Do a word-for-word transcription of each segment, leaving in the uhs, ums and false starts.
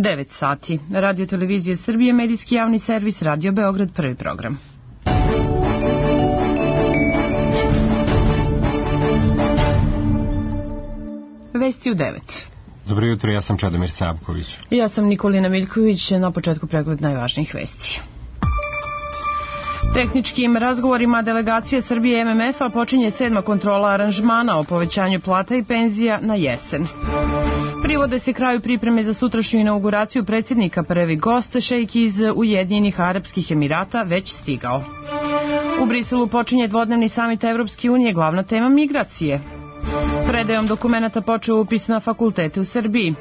devet sati. Radio Televizije Srbije, medijski javni servis, Radio Beograd, prvi program. Vesti u devet. Dobro jutro, ja sam Čedomir Savković. Ja sam Nikolina Miljković, na početku pregled najvažnijih vesti. Tehničkim razgovorima delegacije Srbije M M F-a počinje sedma kontrola aranžmana o povećanju plata i penzija na jesen. Privode se kraju pripreme za sutrašnju inauguraciju predsjednika, prvi gost, šejk iz Ujedinjenih Arapskih Emirata, već stigao. U Briselu počinje dvodnevni samit Evropske unije, glavna tema migracije. Predajom dokumenata počeo upis na fakultete u Srbiji.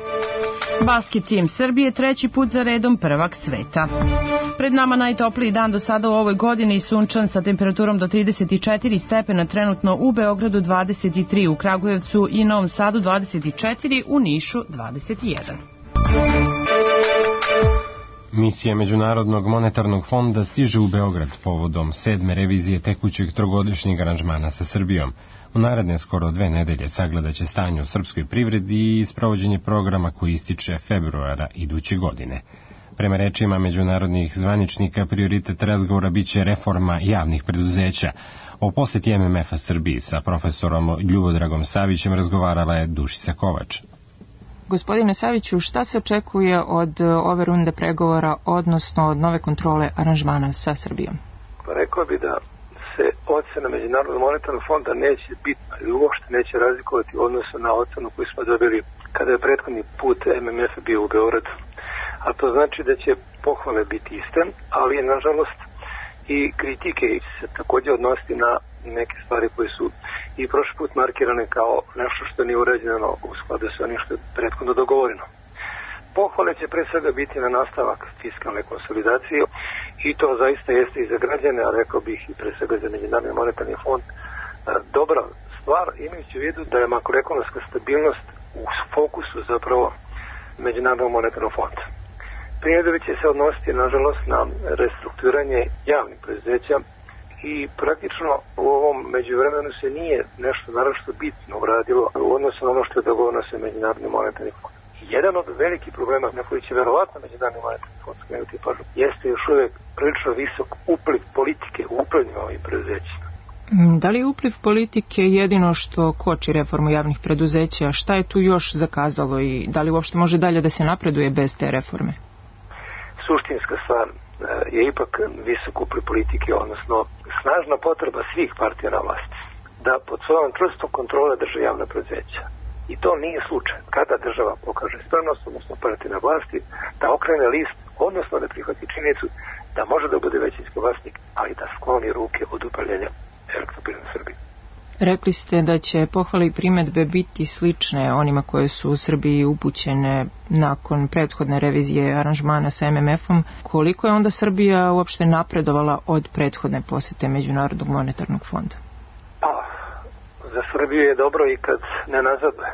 Basket tim Srbije treći put za redom prvak sveta. Pred nama najtopliji dan do sada u ovoj godini i sunčan sa temperaturom do trideset četiri stepena, trenutno u Beogradu dvadeset tri, u Kragujevcu i Novom Sadu dvadeset četiri, u Nišu dvadeset jedan. Misija Međunarodnog monetarnog fonda stiže u Beograd povodom sedme revizije tekućeg trogodišnjeg aranžmana sa Srbijom. U naredne skoro dve nedelje sagledaće stanje u srpskoj privredi i sprovođenje programa koji ističe februara iduće godine. Prema rečima međunarodnih zvaničnika, prioritet razgovora biće reforma javnih preduzeća. O poseti M M F-a Srbiji sa profesorom Ljubodragom Savićem razgovarala je Dušica Kovač. Gospodine Saviću, šta se očekuje od ove runde pregovora, odnosno od nove kontrole aranžmana sa Srbijom? Pa rekao bi da se ocena Međunarodnog monetarnog fonda neće bitno ili uopšte neće razlikovati u odnosu na ocenu koju smo dobili kada je prethodni put M M F bio u Beogradu. A to znači da će pohvale biti iste, ali nažalost i kritike se također odnositi na neke stvari koje su i prošli put markirane kao nešto što nije urađeno u skladu sa onim što je prethodno dogovoreno. Pohvale će pre svega biti na nastavak fiskalne konsolidacije i to zaista jeste i za građane, a rekao bih i pre svega za Međunarodni monetarni fond dobra stvar, imajući u vidu da je makroekonomska stabilnost u fokusu zapravo Međunarodnog monetarnog fonda. Primjedbe će se odnositi, nažalost, na restrukturiranje javnih preduzeća i praktično u ovom međuvremenu se nije nešto naročito bitno uradilo u odnosu na ono što je dogovoreno sa Međunarodnim monetarnim fondom. Jedan od velikih problema na koji će verovatno Međunarodni monetarni fond skrenuti pažnju jeste još uvijek prilično visok upliv politike u upravljanju ovih preduzeća. Da li je upliv politike jedino što koči reformu javnih preduzeća? Šta je tu još zakazalo i da li uopšte može dalje da se napreduje bez te reforme? Suštinska stvar je ipak visok upliv politike, odnosno snažna potreba svih partija na vlasti da pod svojom čvrstom kontrole drže javna preduzeća. I to nije slučaj. Kada država pokaže spremnost, odnosno partija na vlasti, da okrene list, odnosno da prihvati činjenicu da može da bude većinski vlasnik, ali da skloni ruke od upravljanja Elektroprivredom Srbije. Rekli ste da će pohvale i primedbe biti slične onima koje su u Srbiji upućene nakon prethodne revizije aranžmana sa M M F-om. Koliko je onda Srbija uopšte napredovala od prethodne posete Međunarodnog monetarnog fonda? Pa, za Srbiju je dobro i kad ne nazaduje.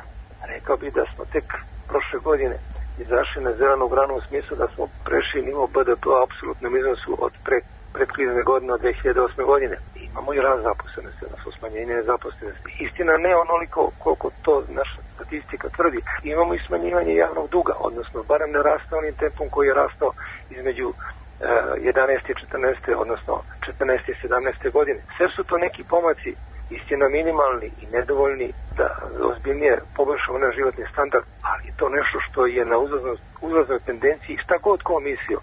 Rekao bih da smo tek prošle godine izašli na zelenu granu u smislu da smo prešli nivo B D P u apsolutnom iznosu od pre predkrizne godine od dve hiljade osme godine. Imamo i rast zaposlenosti, odnosno smanjenje nezaposlenosti. Istina ne onoliko koliko to naša statistika tvrdi. Imamo i smanjivanje javnog duga, odnosno barem ne raste onim tempom koji je rastao između eh, jedanaeste i četrnaeste, odnosno četrnaeste i sedamnaeste godine. Sve su to neki pomaci, istina minimalni i nedovoljni da ozbiljnije poboljšamo naš životni standard, ali to nešto što je na uzlaznoj tendenciji, šta god ko mislio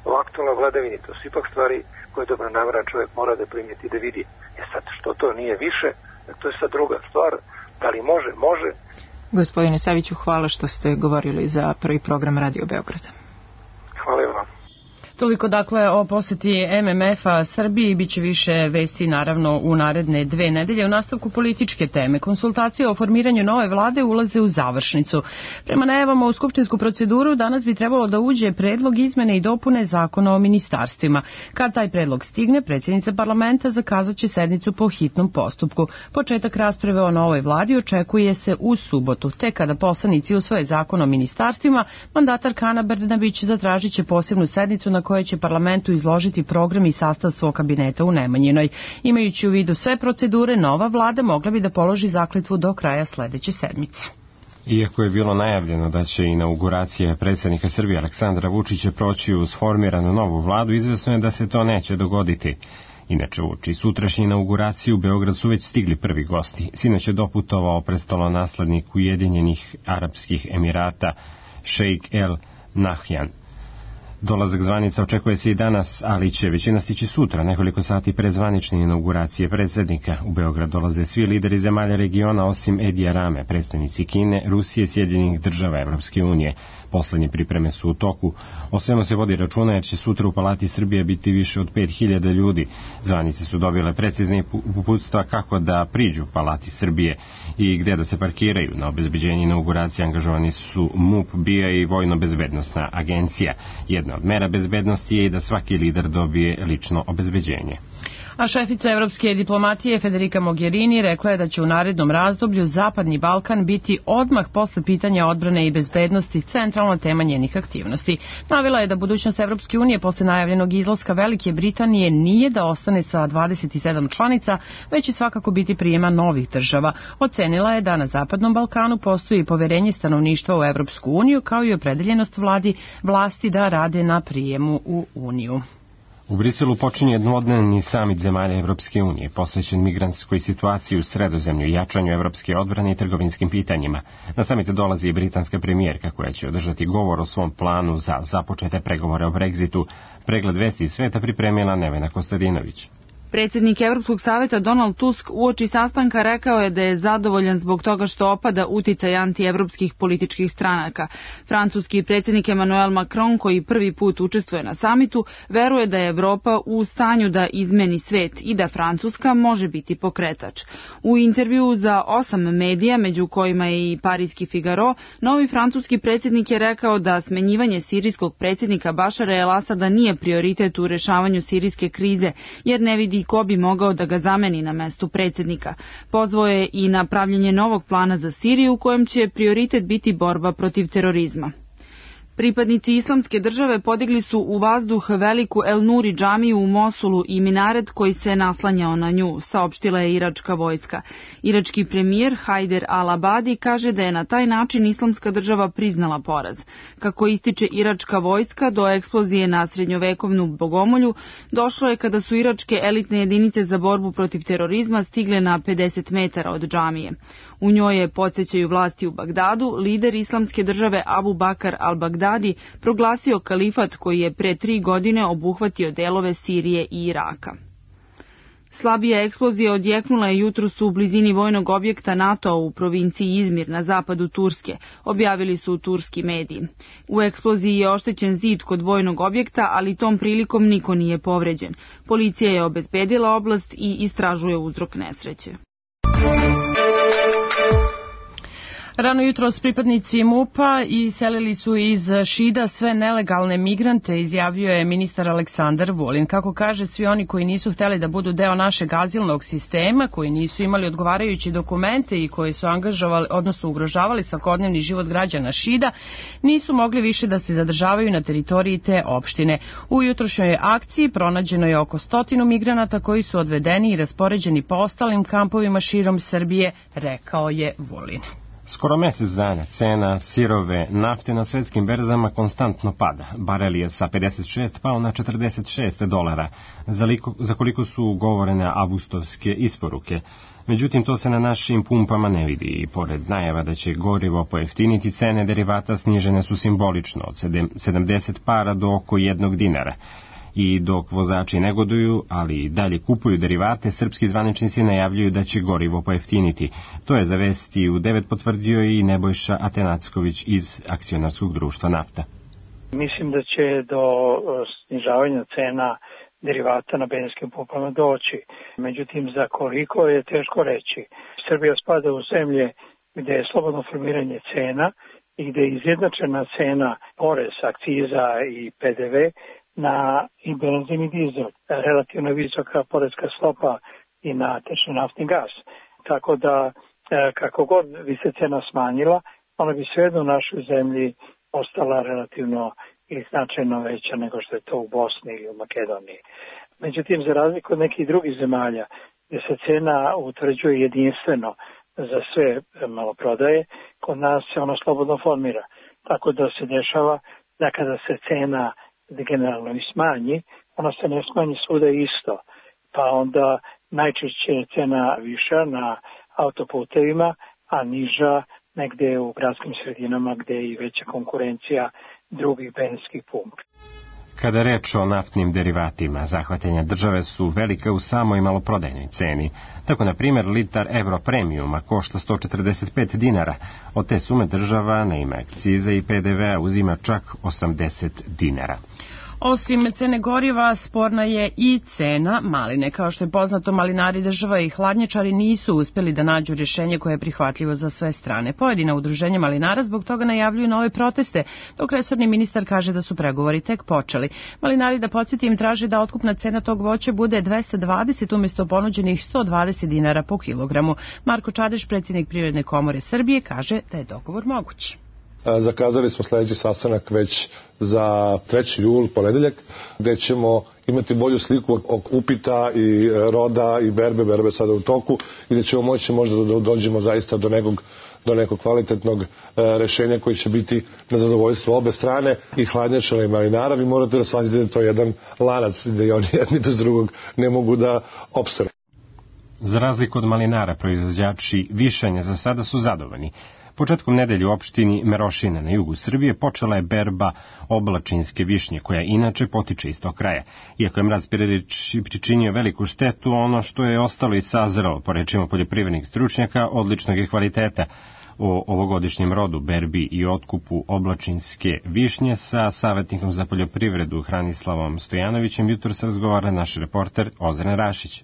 o aktualnoj vladavini, to su ipak stvari koje dobronameran čovjek mora da primijeti da vidi. E sad, što to nije više, to je sad druga stvar. Da li može? Može. Gospodine Saviću, hvala što ste govorili za prvi program Radio Beograda. Hvala vam. Toliko dakle o poseti M M F-a Srbiji, bit će više vesti naravno u naredne dve nedelje. U nastavku političke teme, konsultacije o formiranju nove vlade ulaze u završnicu. Prema najavama u skupštinsku proceduru danas bi trebalo da uđe predlog izmene i dopune zakona o ministarstvima. Kad taj predlog stigne, predsjednica parlamenta zakazat će sednicu po hitnom postupku. Početak rasprave o novoj vladi očekuje se u subotu. Te kada poslanici usvoje zakon o ministarstvima, mandatarka Ana Brnabić zatražit će posebnu sednicu na koje će parlamentu izložiti program i sastav svog kabineta u Nemanjinoj. Imajući u vidu sve procedure, nova vlada mogla bi da položi zakletvu do kraja sledeće sedmice. Iako je bilo najavljeno da će inauguracija predsjednika Srbije Aleksandra Vučića proći uz formiranu novu vladu, izvesno je da se to neće dogoditi. Inače, uoči sutrašnje inauguracije u Beograd su već stigli prvi gosti. Sinoć je doputovao prestolonaslednik Ujedinjenih Arapskih Emirata Šejk El Nahjan. Dolazak zvanica očekuje se i danas, ali će većina stići sutra, nekoliko sati pre zvanične inauguracije predsjednika. U Beograd dolaze svi lideri zemalja regiona osim Edija Rame, predstavnici Kine, Rusije, Sjedinjenih država, Evropske unije. Poslednje pripreme su u toku. O svemu se vodi računa jer će sutra u Palati Srbije biti više od pet hiljada ljudi. Zvanice su dobile precizne uputstva kako da priđu Palati Srbije i gde da se parkiraju. Na obezbeđenje inauguracije angažovani su MUP, B I A i Vojno-bezbednosna agencija. Jedna od mera bezbednosti je i da svaki lider dobije lično obezbeđenje. A šefica evropske diplomatije Federica Mogherini rekla je da će u narednom razdoblju Zapadni Balkan biti odmah posle pitanja odbrane i bezbednosti centralna tema njenih aktivnosti. Navela je da budućnost Evropske unije posle najavljenog izlaska Velike Britanije nije da ostane sa dvadeset sedam članica, već će svakako biti prijema novih država. Ocenila je da na Zapadnom Balkanu postoji poverenje stanovništva u Evropsku uniju, kao i opredeljenost vladi vlasti da rade na prijemu u Uniju. U Briselu počinje dvodnevni samit zemalja Evropske unije, posvećen migrantskoj situaciji u Sredozemlju, jačanju evropske odbrane i trgovinskim pitanjima. Na samit dolazi i britanska premijerka koja će održati govor o svom planu za započete pregovore o Brexitu. Pregled vesti iz sveta pripremila Nevena Kostadinović. Predsjednik Evropskog saveta Donald Tusk uoči sastanka rekao je da je zadovoljan zbog toga što opada uticaj antievropskih političkih stranaka. Francuski predsjednik Emmanuel Macron, koji prvi put učestvuje na samitu, veruje da je Evropa u stanju da izmeni svet i da Francuska može biti pokretač. U intervjuu za osam medija, među kojima je i Parijski Figaro, novi francuski predsjednik je rekao da smenjivanje sirijskog predsjednika Bašara el Asada nije prioritet u rešavanju sirijske krize, jer ne vidi ko bi mogao da ga zameni na mestu predsjednika. Pozvao je i na pravljenje novog plana za Siriju u kojem će prioritet biti borba protiv terorizma. Pripadnici islamske države podigli su u vazduh veliku El Nuri džamiju u Mosulu i minaret koji se naslanjao na nju, saopštila je iračka vojska. Irački premijer Hajder al-Abadi kaže da je na taj način islamska država priznala poraz. Kako ističe iračka vojska, do eksplozije na srednjovekovnu bogomolju došlo je kada su iračke elitne jedinice za borbu protiv terorizma stigle na pedeset metara od džamije. U njoj je, podsjećaju vlasti u Bagdadu, lider islamske države Abu Bakar al-Bagdadi proglasio kalifat koji je pre tri godine obuhvatio delove Sirije i Iraka. Slabija eksplozija odjeknula je jutros u blizini vojnog objekta NATO u provinciji Izmir na zapadu Turske, objavili su turski mediji. U eksploziji je oštećen zid kod vojnog objekta, ali tom prilikom niko nije povređen. Policija je obezbedila oblast i istražuje uzrok nesreće. Rano jutros pripadnici MUP-a iselili su iz Šida sve nelegalne migrante, izjavio je ministar Aleksandar Vulin. Kako kaže, svi oni koji nisu hteli da budu deo našeg azilnog sistema, koji nisu imali odgovarajuće dokumente i koji su angažovali, odnosno ugrožavali svakodnevni život građana Šida, nisu mogli više da se zadržavaju na teritoriji te opštine. U jutrošnjoj akciji pronađeno je oko stotinu migranata koji su odvedeni i raspoređeni po ostalim kampovima širom Srbije, rekao je Vulin. Skoro mesec dana cena sirove nafte na svetskim berzama konstantno pada. Barel je sa pedeset šest pao na četrdeset šest dolara, za, liko, za koliko su ugovorene avgustovske isporuke. Međutim, to se na našim pumpama ne vidi i pored najava da će gorivo pojeftiniti, cene derivata snižene su simbolično od sedamdeset para do oko jednog dinara. I dok vozači negoduju, ali i dalje kupuju derivate, srpski zvaničnici najavljuju da će gorivo pojeftiniti. To je za Vesti u devet potvrdio i Nebojša Atenacković iz akcionarskog društva Nafta. Mislim da će do snižavanja cena derivata na benzinskim pumpama doći. Međutim, za koliko je teško reći. Srbija spada u zemlje gde je slobodno formiranje cena i gde je izjednačena cena, porez, akciza i P D V na i benzin i dizel. Relativno visoka poreska stopa i na tečni naftni gas. Tako da kako god bi se cena smanjila, ona bi svejedno u našoj zemlji ostala relativno i značajno veća nego što je to u Bosni ili u Makedoniji. Međutim, za razliku od nekih drugih zemalja gdje se cena utvrđuje jedinstveno za sve maloprodaje, kod nas se ono slobodno formira. Tako da se dešava da kada se cena generalno i smanji, ona se ne smanji svuda isto. Pa onda najčešće je cena viša na autoputevima, a niža negde u gradskim sredinama gde je i veća konkurencija drugih benzinskih pumpi. Kada je reč o naftnim derivatima, zahvatanja države su velika u samoj maloprodajnoj ceni. Tako, na primjer, litar Euro Premiuma košta sto četrdeset pet dinara. Od te sume država na ime akcize i P D V-a uzima čak osamdeset dinara. Osim cene goriva, sporna je i cena maline. Kao što je poznato, malinari, država i hladnjačari nisu uspjeli da nađu rješenje koje je prihvatljivo za sve strane. Pojedina udruženja malinara zbog toga najavljuju nove proteste, dok resorni ministar kaže da su pregovori tek počeli. Malinari, da podsjetim, traže da otkupna cena tog voća bude dvesta dvadeset umjesto ponuđenih sto dvadeset dinara po kilogramu. Marko Čadeš, predsjednik Privredne komore Srbije, kaže da je dogovor moguć. Zakazali smo sljedeći sastanak već za treći jul, ponedeljak, gdje ćemo imati bolju sliku od upita i roda i berbe, berbe sada u toku, i gdje ćemo moći možda da dođemo zaista do nekog, do nekog kvalitetnog e, rešenja koji će biti na zadovoljstvo obe strane, i hladnjačara i malinara. Vi morate da shvatite da to je jedan lanac, da i oni jedni bez drugog ne mogu da opstanu. Za razliku od malinara, proizvođači višanja za sada su zadovoljni. Početkom nedelje u opštini Merošina na jugu Srbije počela je berba oblačinske višnje, koja inače potiče iz tog kraja. Iako je mraz pričinio veliku štetu, ono što je ostalo i sazrelo, po rečima poljoprivrednih stručnjaka, odličnog je kvaliteta. O ovogodišnjem rodu, berbi i otkupu oblačinske višnje sa savjetnikom za poljoprivredu Hranislavom Stojanovićem jutros razgovara naš reporter Ozren Rašić.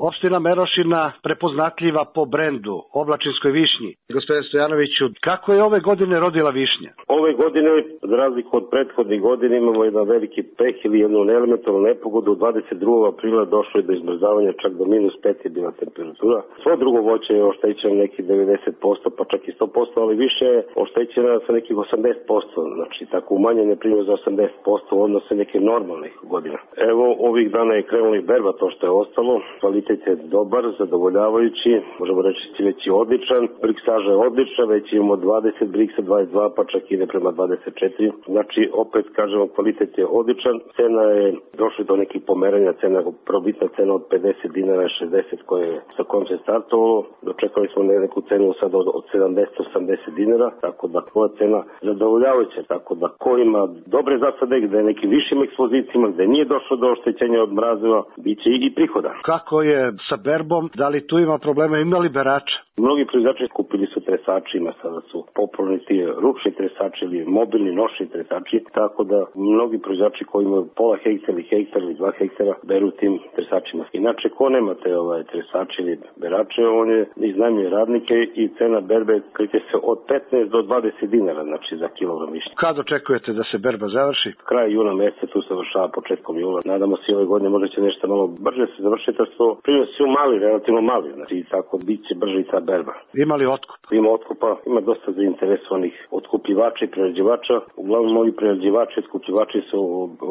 Opština Merošina prepoznatljiva po brendu oblačinskoj višnji. Gospodine Stojanoviću, kako je ove godine rodila višnja? Ove godine, za razliku od prethodnih godina, imamo jedan veliki peh ili jednu elementarnu nepogodu. dvadeset drugog aprila došlo je do izmrzavanja, čak do minus pet je bila temperatura. Svo drugo voće je oštećeno nekih devedeset posto, pa čak i sto posto, ali više je oštećena sa nekih osamdeset posto. Znači, tako umanjene primjer za osamdeset posto u odnosu neke normalnih godina. Evo, ovih dana je krenula i berba, to što je ostalo. Kvalitet je dobar, zadovoljavajući, možemo reći već je odličan, briksaža je odlična, već imamo dvadeset briksa, dvadeset dva, pa čak ide prema dvadeset četiri. Znači, opet kažemo, kvalitet je odličan, cena je došla do nekih pomeranja, cena, probitna cena od pedeset dinara, šezdeset koje je sa kojom se startovalo, dočekali smo neku cenu sad od, od sedamdeset osamdeset dinara, tako da koja cena zadovoljavajuća, tako da ko ima dobre zasade, gde je nekim višim ekspozicijama, gde nije došlo do oštećenja od mrazeva, bit će i prihoda. Kako je sa berbom, da li tu ima problema, ima li berača? Mnogi proizvođači kupili su tresačima, sada su popularni ti ručni tresači ili mobilni nošni tresači, tako da mnogi proizvođači koji imaju pola hektara ili hektar ili dva hektara beru tim tresačima. Inače, ko nema te ovaj, tresači ili berače, on je iznajmljuje radnike i cena berbe kreće se od petnaest do dvadeset dinara, znači za kilogram višnje. Kad očekujete da se berba završi? Kraj juna meseca, tu se završava početkom jula. Nadamo se ove godine možda će nešto malo brže se završiti, jer su primjer su mali, relativno mali, znači tako bit će brže i ta berba. Ima li otkup? Ima otkupa, ima dosta zainteresovanih otkupljivača i prerađivača. Uglavnom, mnogi prerađivači i otkupljivači su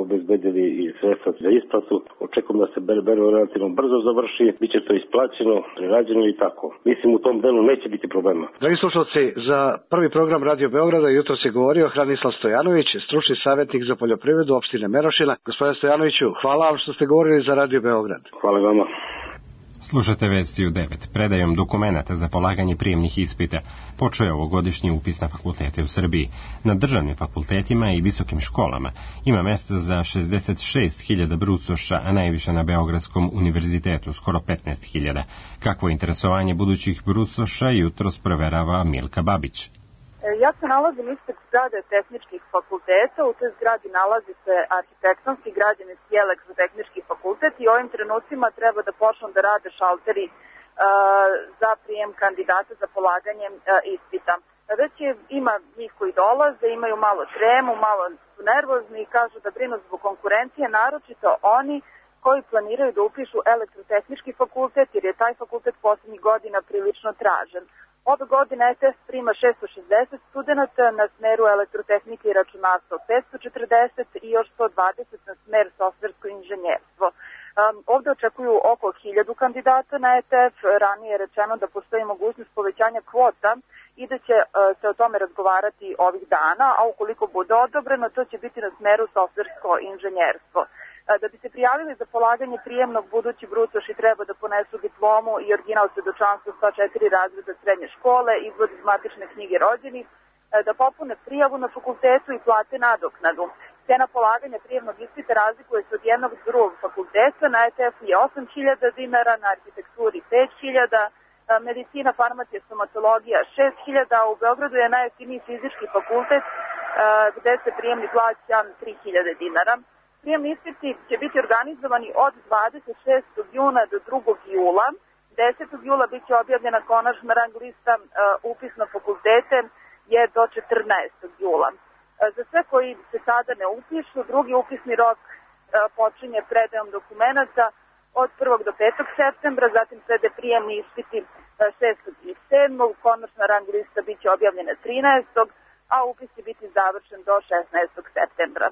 obezbedili i sredstva za isplatu. Očekujem da se berba relativno brzo završi, bit će to isplaćeno, prerađeno i tako. Mislim, u tom delu neće biti problema. Dragi slušalci, za prvi program Radio Beograda jutro se govorio Hranislav Stojanović, stručni savjetnik za poljoprivredu opštine Merošina. Gospodine Stojanoviću, hvala vam što ste govorili za Radio Beograd. Hvala vama. Slušate Vesti u devet. Predajom dokumenata za polaganje prijemnih ispita počeo je ovogodišnji upis na fakultete u Srbiji. Na državnim fakultetima i visokim školama ima mesta za šezdeset šest hiljada brucoša, a najviše na Beogradskom univerzitetu, skoro petnaest hiljada. Kakvo interesovanje budućih brucoša jutros proverava Milka Babić. Ja se nalazim ispred zgrade tehničkih fakulteta, u toj zgradi nalazi se arhitektonski, građevinski i elektrotehnički fakultet i ovim trenucima treba da počnu da rade šalteri uh, za prijem kandidata za polaganje uh, ispita. Već je, ima njih koji dolaze, imaju malo tremu, malo su nervozni i kažu da brinu zbog konkurencije, naročito oni koji planiraju da upišu elektrotehnički fakultet, jer je taj fakultet poslednjih godina prilično tražen. Ove godine E T S prima šesto šezdeset studenta na smeru elektrotehnike i računarstva, petsto četrdeset i još sto dvadeset na smer softversko inženjerstvo. Ovde očekuju oko hiljadu kandidata na E T F. Ranije je rečeno da postoji mogućnost povećanja kvota i da će se o tome razgovarati ovih dana, a ukoliko bude odobreno, to će biti na smeru softversko inženjerstvo. Da bi se prijavili za polaganje prijemnog, budući brucoši treba da ponesu diplomu i original svedočanstva sto četiri razreda srednje škole, izvod iz matične knjige rođenih, da popune prijavu na fakultetu i plate nadoknadu. Cena polaganja prijemnog ispita razlikuje se od jednog do drugog fakulteta, na E T F je osam hiljada dinara, na arhitekturi pet hiljada, medicina, farmacija, stomatologija šest hiljada, a u Beogradu je najjeftiniji fizički fakultet gde se prijemni plaća tri hiljade dinara. Prijemni ispiti će biti organizovani od dvadeset šestog juna do drugog jula. desetog jula biće objavljena konačna rang lista, upis na fakultete je do četrnaestog jula. Za sve koji se sada ne upišu, drugi upisni rok počinje predajom dokumenata od prvog do petog septembra, zatim slede prijemni ispiti šestog i sedmog Konačna rang lista biće objavljena trinaestog a upis će biti završen do šesnaestog septembra.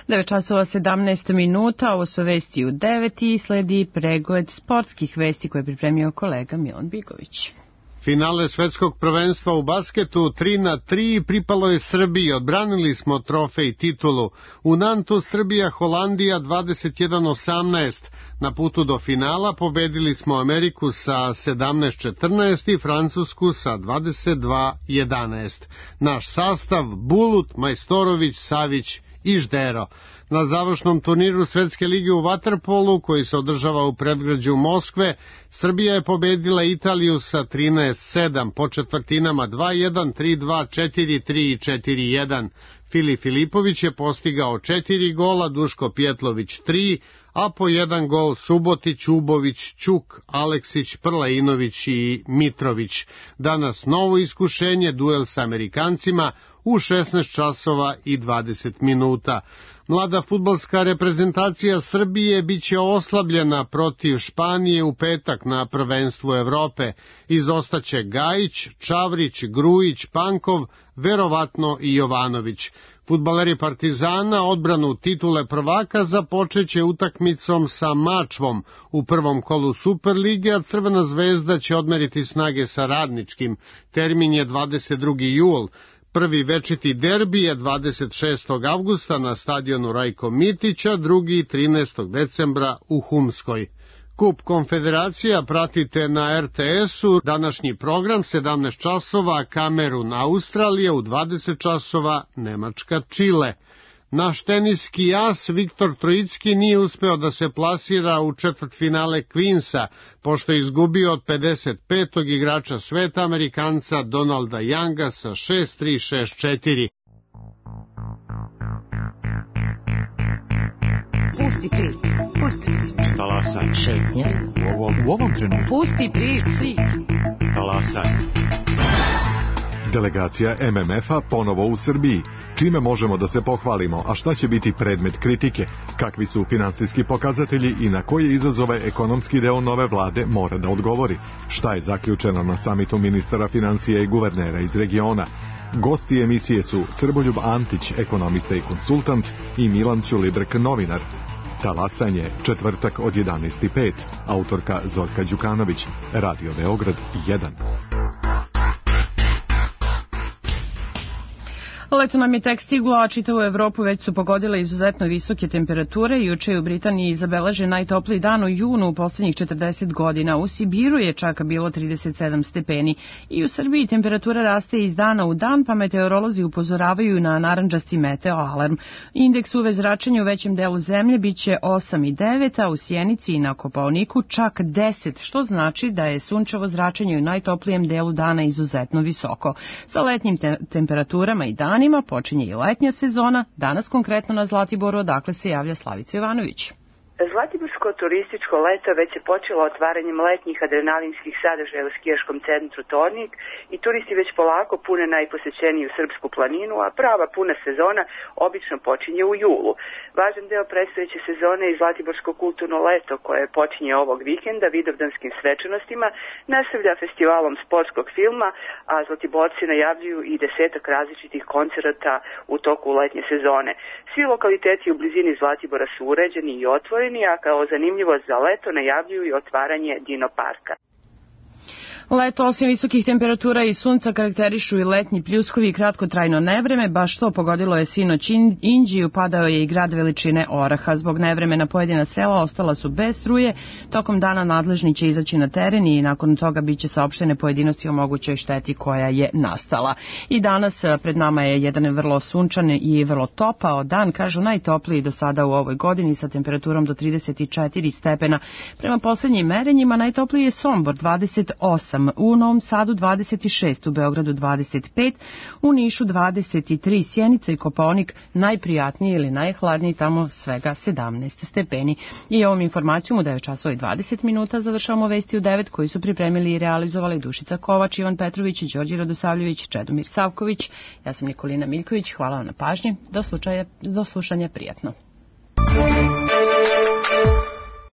devet časova sedamnaest minuta, ovo su vesti u devet i sledi pregled sportskih vesti koje je pripremio kolega Milan Bigović. Finale svetskog prvenstva u basketu tri na tri pripalo je Srbiji, odbranili smo trofej titulu. U Nantu Srbija Holandija dvadeset jedan osamnaest. Na putu do finala pobedili smo Ameriku sa sedamnaest četrnaest i Francusku sa dvadeset dva jedanaest. Naš sastav Bulut, Majstorović, Savić i Ždero. Na završnom turniru Svetske lige u vaterpolu, koji se održava u predgrađu Moskve, Srbija je pobedila Italiju sa trinaest sedam, po četvrtinama dva jedan, tri dva, četiri tri i četiri jedan. Fili Filipović je postigao četiri gola, Duško Pjetlović tri, a po jedan gol Subotić, Ubović, Ćuk, Aleksić, Prlainović i Mitrović. Danas novo iskušenje, duel sa Amerikancima u šesnaest časova i dvadeset minuta. Mlada fudbalska reprezentacija Srbije biće oslabljena protiv Španije u petak na prvenstvu Evrope. Izostaće Gajić, Čavrić, Grujić, Pankov, verovatno i Jovanović. Fudbaleri Partizana odbranu titule prvaka započeće utakmicom sa Mačvom u prvom kolu Superlige, a Crvena zvezda će odmeriti snage sa Radničkim. Termin je dvadeset drugi jul. Prvi večiti derbi je dvadeset šestog avgusta na stadionu Rajko Mitića, drugi trinaestog decembra u Humskoj. Kup Konfederacija pratite na er te esu, današnji program sedamnaest časova, Kamerun Australija, u dvadeset časova Nemačka Čile. Naš teniski as Viktor Trojicki nije uspeo da se plasira u četvrtfinale Queensa, pošto je izgubio od pedeset petog igrača sveta Amerikanca Donalda Younga sa šest tri šest četiri. Pusti priču, pusti priču. Talasaj. Šetnja. U ovom, u ovom trenutku. Pusti priču. Talasaj. Delegacija em em efa ponovo u Srbiji. Čime možemo da se pohvalimo, a šta će biti predmet kritike? Kakvi su finansijski pokazatelji i na koje izazove ekonomski deo nove vlade mora da odgovori? Šta je zaključeno na samitu ministara financija i guvernera iz regiona? Gosti emisije su Srboljub Antić, ekonomista i konsultant, i Milan Ćulibrk, novinar. Talasanje, četvrtak od jedanaest i pet. Autorka Zorka Đukanović. Radio Beograd jedan. Leto nam je tek stiglo, a čitavu Evropu već su pogodile izuzetno visoke temperature. Juče je u Britaniji zabeležen najtopliji dan u junu u poslednjih četrdeset godina. U Sibiru je čak bilo trideset sedam stepeni. I u Srbiji temperatura raste iz dana u dan, pa meteorolozi upozoravaju na narandžasti meteo alarm. Indeks U V zračenja u većem delu zemlje biće osam i devet, a u Sjenici i na Kopaoniku čak deset, što znači da je sunčevo zračenje u najtoplijem delu dana izuzetno visoko. Sa letnjim te temperaturama i dan počinje i letnja sezona, danas konkretno na Zlatiboru, odakle se javlja Slavica Jovanović. Zlatiborsko turističko leto već je počelo otvaranjem letnjih adrenalinskih sadržaja u skijaškom centru Tornik i turisti već polako pune najposećeniju srpsku planinu, a prava puna sezona obično počinje u julu. Važan deo predstojeće sezone je Zlatiborsko kulturno leto koje počinje ovog vikenda vidovdanskim svečanostima, nastavlja festivalom sportskog filma, a Zlatiborci najavljuju i desetak različitih koncerata u toku letnje sezone. Svi lokaliteti u blizini Zlatibora su uređeni i otvoreni, okolini, a kao zanimljivost za leto najavljuju i otvaranje Dino parka. Leto osim visokih temperatura i sunca karakterišu i letnji pljuskovi i kratkotrajno nevreme, baš to pogodilo je sinoć Inđiju, padao je i grad veličine oraha. Zbog nevremena pojedina sela ostala su bez struje, tokom dana nadležni će izaći na teren i nakon toga biće saopštene pojedinosti o mogućoj šteti koja je nastala. I danas pred nama je jedan vrlo sunčan i vrlo topao dan, kažu najtopliji do sada u ovoj godini sa temperaturom do trideset četiri stepena. Prema poslednjim merenjima najtopliji je Sombor dvadeset osam, u Novom Sadu dvadeset šest, u Beogradu dvadeset pet, u Nišu dvadeset tri, Sjenica i Kopaonik najprijatniji ili najhladniji, tamo svega sedamnaest stepeni. I ovom informacijom u devet časova i dvadeset minuta završavamo vesti u devet koji su pripremili i realizovali Dušica Kovač, Ivan Petrović, Đorđe Radosavljević, Čedomir Savković. Ja sam Nikolina Miljković, hvala vam na pažnji, do slušanja, do slušanja prijatno.